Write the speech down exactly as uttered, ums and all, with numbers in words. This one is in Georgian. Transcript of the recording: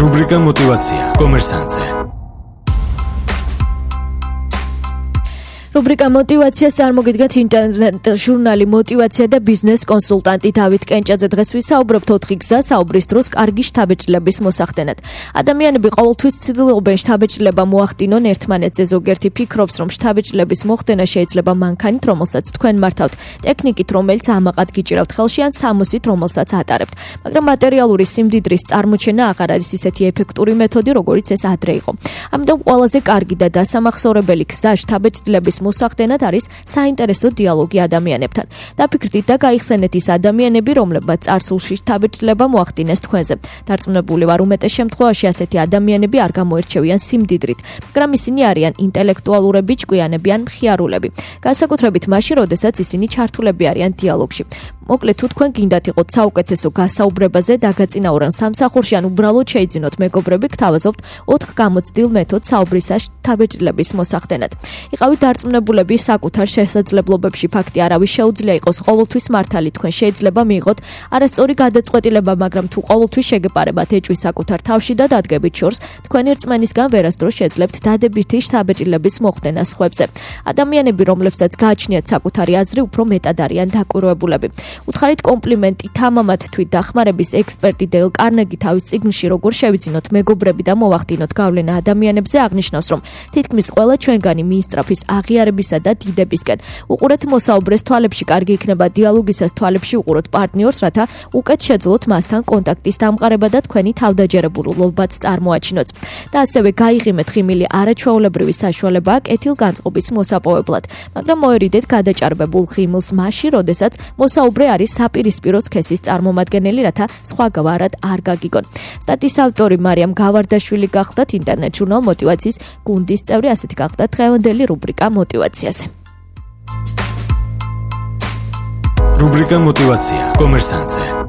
რუბრიკა мотивация კომერსანტზე. რუბრიკა мотивაციას წარმოგიდგენთ ინტერნეტ ჟურნალი мотивация და ბიზნეს კონსულტანტი დავით კენჭაძე. დღეს ვისაუბრებთ ოთხი გზა საუბრის დროს კარგი შთაბეჭდილების მოსახდენად. ადამიანები ყოველთვის ცდილობენ შთაბეჭდილება მოახდინონ ერთმანეთზე. ზოგიერთი ფიქრობს, რომ შთაბეჭდილების მოხდენა შეიძლება მანქანით, რომელსაც თქვენ მართავთ, ტექნიკით, რომელიც ამაყად გიჭირავთ ხელში, ან სამოსით, რომელსაც ატარებთ. მაგრამ მატერიალური სიმდიდრის წარმოჩენა აღარ არის ისეთი ეფექტური მეთოდი, როგორიც ეს ადრე იყო. ამიტომ ყველაზე კარგი და დასამახსოვრებელი გზა შთაბეჭდილების მოსახდენად არის საინტერესო დიალოგი ადამიანებთან. დაფიქრდით და გაიხსენეთ ის ადამიანები, რომლებმაც წარსულში შთაბეჭდილება მოახდინეს თქვენზე. დარწმუნებული ვარ, უმეტეს შემთხვევაში ასეთი ადამიანები არ გამოირჩევიან სიმდიდრით, მაგრამ ისინი არიან ინტელექტუალურები, ჭკვიანები ან მხიარულები. განსაკუთრებით მაშინ, როდესაც ისინი ჩართულები არიან დიალოგში. მოკლედ, თუ თქვენ გინდათ იყოთ საუკეთესო გასაუბრებაზე დაგაწინაურონ სამსახურში ან უბრალოდ შეიძინოთ მეგობრები, გთავაზობთ ოთხ გამოცდილ მეთოდს საუბრისა შთაბეჭდილების მოსახდენად. იყავით დარწმუნებულები საკუთარ შესაძლებლობებში, ფაქტი არავის შეუძლია იყოს ყოველთვის მართალი. თქვენ შეიძლება მიიღოთ არასწორი გადაწყვეტილება, მაგრამ თუ ყოველთვის შეგეპარებათ ეჭვი საკუთარ თავში და დადგებით შორს, თქვენი რწმენისგან ვერასდროს შეძლებთ დადებითი შთაბეჭდილების მოხდენას სხვებზე. ადამიანები, რომლებსაც გააჩნიათ საკუთარი აზრი, უფრო მეტად არიან დაკვირვებულები. უთხარით კომპლიმენტი თამამად თვით დახმარების ექსპერტი დეილ კარნეგი თავის წიგნში როგორ შევიძინოთ მეგობრები და მოვახდინოთ გავლენა ადამიანებზე აღნიშნავს, რომ თითქმის ყველა ჩვენგანი მიისწრაფის აღიარებისა და დიდებისკენ. უყურეთ მოსაუბრეს თვალებში, კარგი იქნება დიალოგისას თვალებში უყუროთ პარტნიორს, რათა უკეთ შეძლოთ მასთან კონტაქტის დამყარება და თქვენი თავდაჯერებულობაც წარმოაჩინოთ. და ასევე გაიღიმეთ ხიმილი არაჩვეულებრივი საშუალებაა კეთილგანწყობის მოსაპოვებლად, მაგრამ მოერიდეთ გადაჭარბებულ ხიმილს მაშინ, როდესაც მოსაუბრე არის საპირისპირო სქესის წარმომადგენელი, რათა სხვა გვარად არ გაგიგონ. სტატიის ავტორი მარიამ გავარდაშვილი გახდათ ინტერნეტ ჟურნალ мотивацიის გუნდის წევრი, ასეთი გახდათ დღევანდელი რუბრიკა мотивациაზე. რუბრიკა мотивация კომერსანტზე.